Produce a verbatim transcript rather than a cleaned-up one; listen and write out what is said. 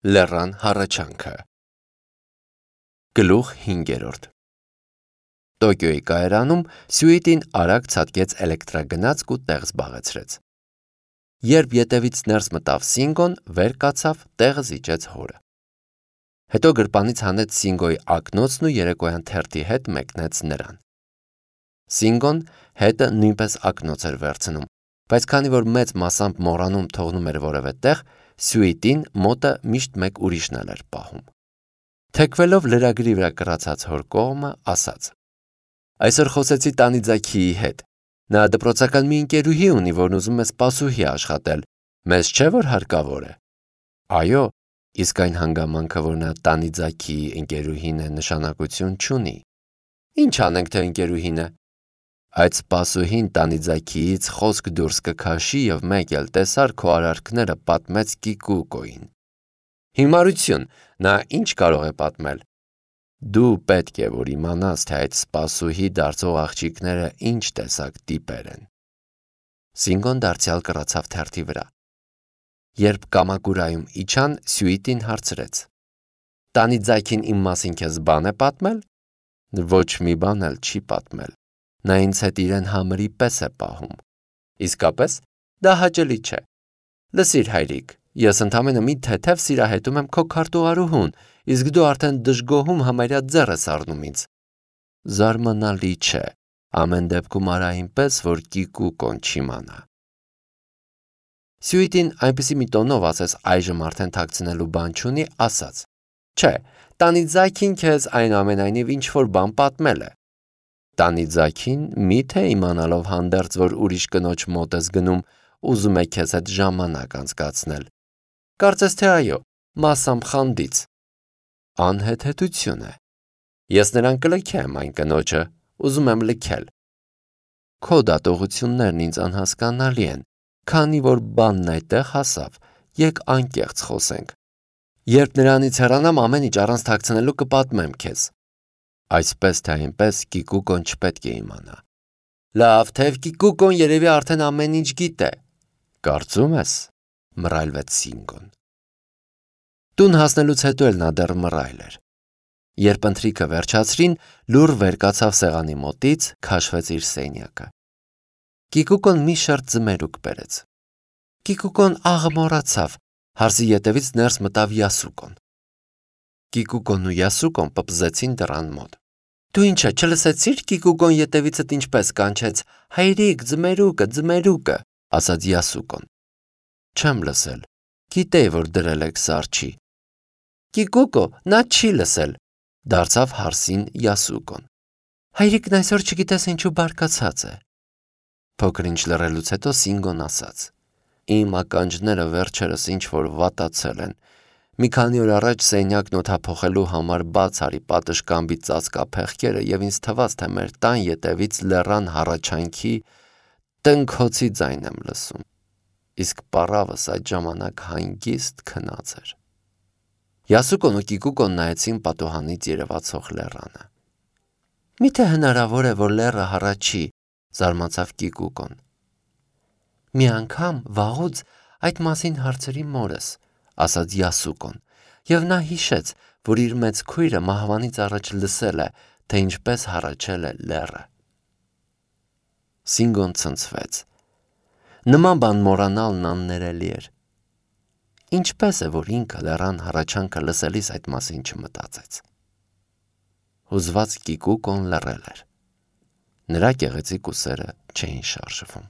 Լեռան հառաչանքը Գլուխ հինգերորդ Տոկիոյի կայարանում Սյուիտին արագ ցատկեց էլեկտրագնացք ու տեղ զբաղեցրեց։ Երբ ետևից ներս մտավ Սինգոն, վեր կացավ, տեղը զիջեց հորը։ Հետո գրպանից հանեց Սինգոյի ակնոցն ու երեկոյան թերթի հետ մեկնեց նրան։ Սինգոն հետը նույնպես ակնոց էր վերցնում, բայց քանի որ մեծ մասամբ մոռանում թողնում էր որևէ տեղ, Սյուիտին մոտը միշտ մեկ ուրիշն էր պահում։ Թեքվելով լրագրի վրա կռացած հոր կողմը, ասաց. Այսօր խոսեցի Տանիձաքիի հետ։ Նա դպրոցական մի ընկերուհի ունի, որն ուզում է սպասուհի աշխատել։ Մեզ չէ որ հարկավոր է։ Այո, իսկ այն հանգամանքը, որ նա Տանիձաքիի ընկերուհին է, նշանակություն չունի։ Ինչ անենք, թե ընկերուհին է։ Այդ սպասուհին Տանիձաքիից խոսք դուրս կքաշի եւ մեկ էլ տեսար քո արարքները պատմեց Կիկուկոին։ Հիմարություն, նա ինչ կարող է պատմել։ Դու պետք է որ իմանաս, թե այդ սպասուհի դարձող աղջիկները ինչ տեսակ տիպեր են։ Սինգոն դարձյալ կռացավ թերթի վրա։ Երբ Կամակուրայում իջան, Սյուիտին հարցրեց. Տանիձաքին իմ մասին քեզ բան է պատմել։ Ոչ մի բան էլ չի պատմել։ Նա ինձ հետ իրեն համրի պես է պահում։ Իսկապես, դա հաճելի չէ։ Լսիր, հայրիկ, ես ընդամենը մի թեթև սիրահետում եմ քո քարտուղարուհուն, իսկ դու արդեն դժգոհում համարյա ձեռ ես առնում ինձ։ Զարմանալի չէ, ամեն դեպքում արա այնպես, որ Կիկուկոն չիմանա։ Սյուիտին այնպիսի մի տոնով ասես այժմ արդեն թաքցնելու բան չունի, ասաց. Չէ, Տանիձաքին քեզ այնուամենայնիվ ինչ-որ բան պատմել է։ Տանիձաքին միթե իմանալով հանդերձ, որ ուրիշ կնոջ մոտ ես գնում, ուզում է քեզ հետ ժամանակ անցկացնել։ Կարծես թե այո, մասամբ խանդից։ Անհեթեթություն է։ Ես նրան կլքեմ այն կնոջը, ուզում եմ լքել։ Քո դատողություններն ինձ անհասկանալի են, քանի որ բանն այդտեղ հասավ, եկ անկեղծ խոսենք։ Երբ նրանից հեռանամ, ամեն ինչ առանց թաքցնելու կպատմեմ քեզ։ Այսպես թե այնպես Կիկուկոն չպետք է իմանա։ Լավ, թեև Կիկուկոն երևի արդեն ամեն ինչ գիտե։ Կարծում ես, մռայլվեց Սինգոն։ Տուն հասնելուց հետո էլ նա դեռ մռայլ էր։ Երբ ընթրիքը վերջացրին, լուռ վեր կացավ սեղանի մոտից, քաշվեց իր սենյակը։ Կիկուկոն մի շերտ ձմերուկ բերեց։ Կիկուկոն աղը մոռացավ, հարսի ետևից ներս մտավ Յասուկոն։ Կիկուկոն ու Յասուկոն պպզեցին դռան մոտ։ Դու ինչ է, չլսեցիր Կիկուկոն ետևիցդ ինչպես կանչեց. Հայրիկ, ձմերուկը, ձմերուկը, ասաց Յասուկոն։ Չեմ լսել։ Գիտեի, որ դրել եք սառչի։ Կիկուկո, նա չի լսել, դարձավ հարսին Յասուկոն։ Հայրիկն այսօր չգիտես ինչու բարկացած է։ Փոքր ինչ լռելուց հետո Սինգոն ասաց. Իմ ականջները վերջերս ինչ որ վատացել են։ Մի քանի օր առաջ սենյակն օդափոխելու համար բաց արի պատշգամբի ծածկափեղկերը եւ ինձ թվաց, թե մեր տան ետևից լեռան հառաչանքի տնքոցի ձայն եմ լսում։ Իսկ պառավս այդ ժամանակ հանգիստ քնած էր։ Յասուկոն ու Կիկուկոն նայեցին պատուհանից երևացող լեռանը։ Միթե հնարավոր է, որ լեռը հառաչի, զարմացավ Կիկուկոն։ Մի անգամ վաղուց այդ մասին հարցրի մորս, ասաց Յասուկոն, եւ նա հիշեց, որ իր մեծ քույրը մահվանից առաջ լսել է, թե ինչպես հառաչել է լեռը։ Սինգոն ցնցվեց։ Նման բան մոռանալն աններելի էր։ Ինչպես է, որ ինքը լեռան հառաչանքը լսելիս այդ մասին չմտածեց։ Հուզված Կիկուկոն լռել էր։ Նրա գեղեցիկ ուսերը չէին շարժվում։